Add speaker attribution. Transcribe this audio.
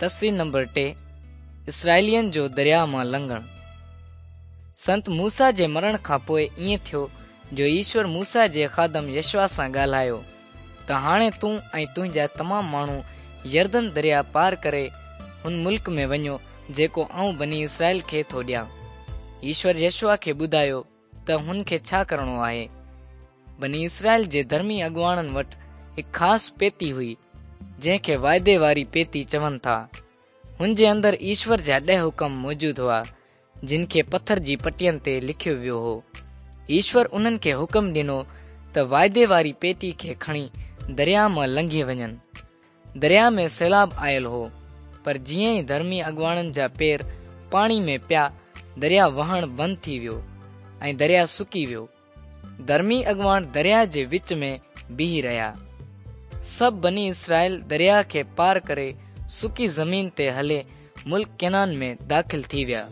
Speaker 1: تصوير نمبر 3 اسرائيلين جو درياء مان لنگهڻ. سنت موسيٰ جي مرڻ کان پوء ائين ٿيو جو ايشور موسيٰ جي خادم يشوع سان ڳالهايو ته هاڻي تون ۽ تنهنجا تمام ماڻهو يردن درياء پار ڪري هن ملڪ ۾ وڃو جيڪو آئون بني اسرائيل کي ٿو ڏيان. ايشور يشوع کي ٻڌايو ته هن کي ڇا ڪرڻو آهي. بني اسرائيل جي ڌرمي اڳواڻن وٽ هڪ خاص پيتي هئي، جنهن کي واعدي واري پيتي چون ٿا. هن جي اندر ايشور جا ڏهه حڪم موجود هئا، جن کي پٿر جي پٽين تي لکيو ويو هو. ايشور انهن کي حڪم ڏنو ته واعدي واري پيتي کي کڻي درياء مان لنگهي وڃن. درياء ۾ سيلاب آيل هو، پر جيئن ئي ڌرمي اڳواڻن جا پير پاڻي ۾ پيا، درياء وهڻ بند ٿي ويو ۽ درياء سڪي ويو. ڌرمي اڳواڻ درياء جي وچ ۾ بيهي رهيا. سڀ بني اسرائيل درياء کي پار ڪري سڪي زمين تي هلي ملڪ ڪنعان ۾ داخل ٿي ويا.